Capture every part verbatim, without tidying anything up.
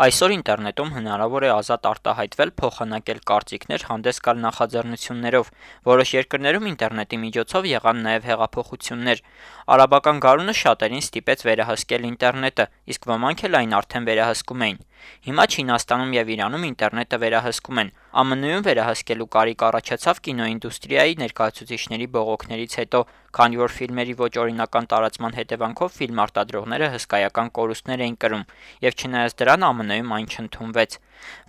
Այսօր ինտերնետում հնարավոր է ազատ արտահայտվել, փոխանակել կարծիքներ, հանդես գալ նախաձեռնություններով։ Որոշ երկրներում ինտերնետի միջոցով եղան նաև հեղափոխություններ։ Արաբական գարունը շատերին ստիպեց վերահսկել ինտերնետը, իսկ ոմանք էլ այն արդեն վերահսկում էին։ Հիմա Չինաստանում և Իրանում ինտերնետը վերահսկում են։ ԱՄՆ -ում վերահսկելու կարիք առաջացավ կինոինդուստրիայի ներկայացուցիչների բողոքներից հետո, քանի որ ֆիլմերի ոչ օրինական տարածման հետևանքով ֆիլմ արտադրողները հսկայական կորուստներ էին կրում, և չնայած դրան ԱՄՆ-ում այն չընդունվեց։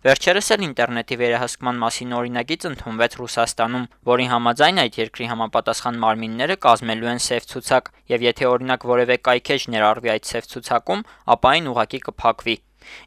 Վերջերս էլ ինտերնետի վերահսկման մասին օրինագիծ ընդունվեց Ռուսաստանում, որի համաձայն այդ երկրի համապատասխան մարմինները կազմելու են սև ցուցակ, և եթե օրինակ որևէ կայքէջ ներառվի այդ սև ցուցակում, ապա այն ուղղակի կփակվի։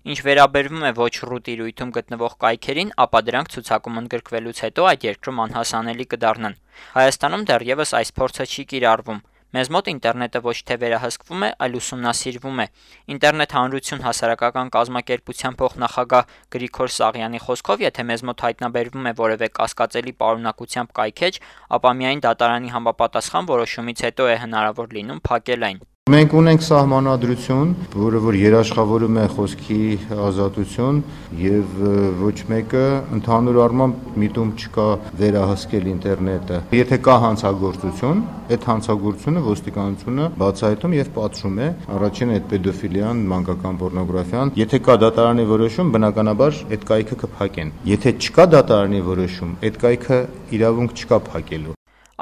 Ինչ վերաբերվում է ոչ ռու տիրույթում գտնվող կայքերին, ապա դրանք ցուցակում ընդգրկվելուց հետո այդ երկրում անհասանելի կդառնան։ Հայաստանում դեռևս այս փորձը չի կիրառվում։ Մեզ մոտ ինտերնետը ոչ թե վերահսկվում է, այլ ուսումնասիրվում է։ Ինտերնետ հանրություն հասարակական կազմակերպության փոխնախագահ Գրիգոր Սաղյանի խոսքով, եթե մեզ մոտ հայտնաբերվում է որևէ կասկածելի պարունակությամբ կայքէջ, ապա միայն դատարանի համապատասխան որոշումից հետո է հնարավոր լինում փակել այն։ Մենք ունենք սահմանադրություն, որը որ երաշխավորում է խոսքի ազատություն, եւ ոչ մեկը ընդհանուր առմամբ միտում չկա վերահսկել ինտերնետը։ Եթե կա հանցագործություն, այդ հանցագործությունը ոստիկանությունը բացահայտում եւ պատժում է, առաջին այդ պեդոֆիլիան, մանկական պոռնոգրաֆիան։ Եթե կա դատարանի որոշում, բնականաբար այդ կայքը կփակեն։ Եթե չկա դատարանի որոշում, այդ կայքը իրավունք չկա փակելու։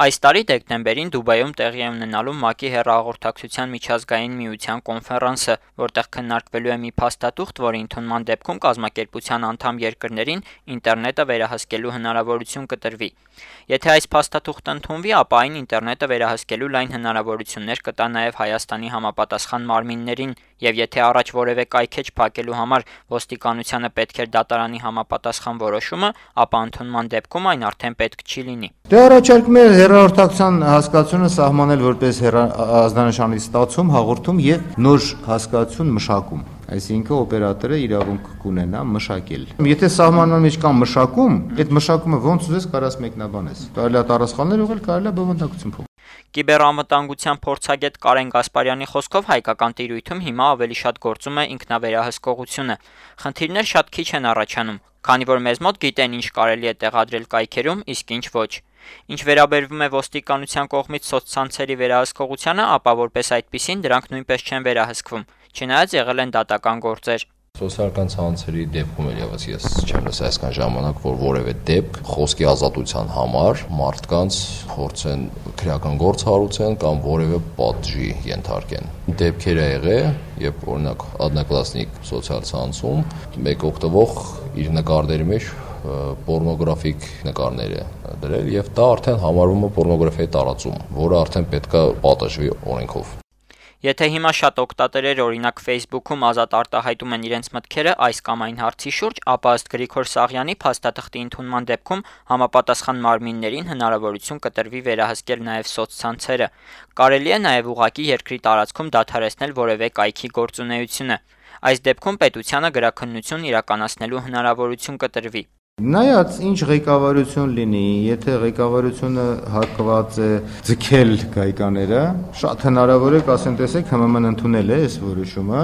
Այս տարի դեկտեմբերին Դուբայում տեղի է ունենալու ՄԱԿ-ի հեռահաղորդակցության միջազգային միության կոնֆերանսը, որտեղ քննարկվելու է մի փաստաթուղթ, որի ընդունման դեպքում կազմակերպության անդամ երկրներին ինտերնետը վերահսկելու հնարավորություն կտրվի։ Եթե այս փաստաթուղթը ընդունվի, ապա այն ինտերնետը վերահսկելու լայն հնարավորություններ կտա նաև Հայաստանի համապատասխան մարմիններին, եւ եթե առաջ որևէ կայքէջ փակելու համար ոստիկանությանը պետք էր դատարանի համապատասխան որոշումը, ապա ընդունման դեպքում այն արդեն պետք չի լինի։ Դե առաջարկում է հեռահաղորդակցության հասկացությունը սահմանել որպես ազդանշանի ստացում, հաղորդում եւ նոր հասկացություն մշակում։ Այսինքն օպերատորը իրավունք կունենա մշակել։ Եթե սահմանման մեջ կա մշակում, այդ մշակումը ոնց ուզես կարաս մեկնաբանես։ Կարելի է տառասխալներ ուղղել, կարելի է բովանդակություն փոխել։ Կիբեռանվտանգության փորձագետ Կարեն Գասպարյանի խոսքով հայկական տիրույթում հիմա ավելի շատ գործում է ինքնավերահսկողությունը։ Խնդիրներ շատ քիչ են առաջանում, քանի որ մեզ մոտ գիտեն ինչ կարելի է տեղադրել կայքերում, իսկ ինչ ոչ։ Ինչ վերաբերվում է ոստիկանության կողմից սոցցանցերի վերահսկողությանը, ապա որպես այդպիսին դրանք նույնպես չեն վերահսկվում, չնայած եղել են դատական գործեր։ Սոցիալական ցանցերի դեպքում էլ եւս ես չեմ լսել այսքան ժամանակ, որ որևէ դեպք խոսքի ազատության համար մարդկանց փորձեն քրեական գործ հարուցեն կամ որևէ պատժի ենթարկեն։ Դեպքեր ա եղել, երբ օրինակ Одноклассник սոցիալ ցանցում մեկ օգտվող իր նկարների մեջ պոռնոգրաֆիկ նկարներ է դրել եւ դա արդեն համարվում է պոռնոգրաֆիայի տարածում, որը արդեն պետք է պատժվի օրենքով։ Եթե հիմա շատ օգտատերեր օրինակ Facebook-ում ազատ արտահայտում են իրենց մտքերը այս կամ այն հարցի շուրջ, ապա ըստ Գրիգոր Սաղյանի փաստաթղթի ընդունման դեպքում համապատասխան մարմիններին հնարավորություն կտրվի վերահսկել նաև սոցցանցերը։ Կարելի է նաև ուղղակի երկրի տարածքում դադարեցնել որևէ կայքի գործունեությունը։ Այս դեպքում պետությանը գրաքննություն իրականացնելու հնարավորություն կտրվի։ Նայած ինչ ղեկավարություն լինի, եթե ղեկավարությունը հակված է ձգել գայկաները, շատ հնարավոր է ասեն, տեսեք, H M M-ն ընդունել է այս որոշումը,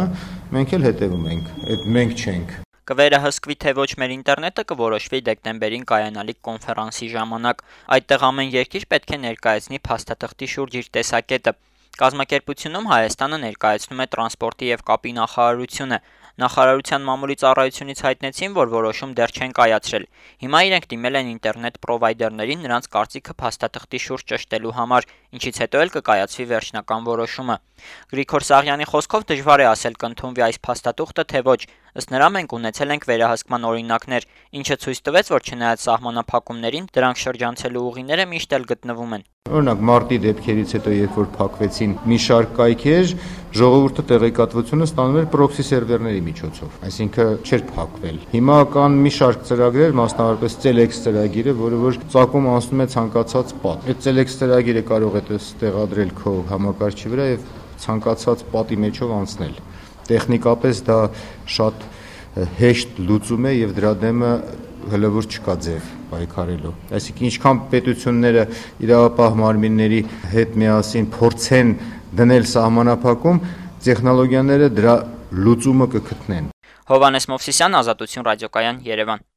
մենք էլ հետևում ենք, այդ մենք չենք։ Կվերահսկվի թե ոչ մեր ինտերնետը կորոշվի դեկտեմբերին կայանալիք կոնֆերանսի ժամանակ։ Այդտեղ ամեն երկիր պետք է ներկայացնի փաստաթղթի շուրջ իր տեսակետը։ Կազմակերպությունում Հայաստանը ներկայացնում է տրանսպորտի եւ կապի նախարարությունը։ Նախարարության մամուլի ծառայությունից հայտնեցին, որ որոշում դեռ չեն կայացրել։ Հիմա իրենք դիմել են ինտերնետ պրովայդերներին նրանց կարծիքը փաստաթղթի շուրջ ճշտելու համար, ինչից հետո էլ կկայացվի վերջնական որոշումը։ Գրիգոր Սաղյանի խոսքով դժվար է ասել կընդունվի այս փաստաթուղթը թե ոչ։ Ըստ նրա մենք ունեցել ենք վերահսկման օրինակներ, ինչը ցույց տվեց, որ չնայած սահմանափակումներին, դրանք շրջանցելու ուղիները միշտ էլ գտնվում են։ Օրինակ մարտի դեպքերից հետո, երբ որ փակվեցին մի շարք կայքեր, ժողովուրդը տեղեկատվությունը ստանում էր պրոքսի սերվերների միջոցով, այսինքն չէր փակվել։ Հիմա կան մի շարք ծրագրեր, մասնավորապես Celex ծրագիրը, որը որ ծագում անցնում է ցանկացած պատ։ Այդ Celex ծրագիրը կարող է տեղադրել քո համակարգչի վրա եւ ցանկացած պատի մեջով անցնել։ Տեխնիկապես դա շատ հեշտ լուծում է եւ դրա դեմը հլվոր չկա ձև պայքարելու։ Այսինքն ինչքան պետությունները իրավապահ մարմինների հետ միասին փորձեն դնել սահմանափակում, տեխնոլոգիաները դրա լուծումը կգտնեն։ Հովհաննես Մովսիսյան, Ազատություն ռադիոկայան, Երևան։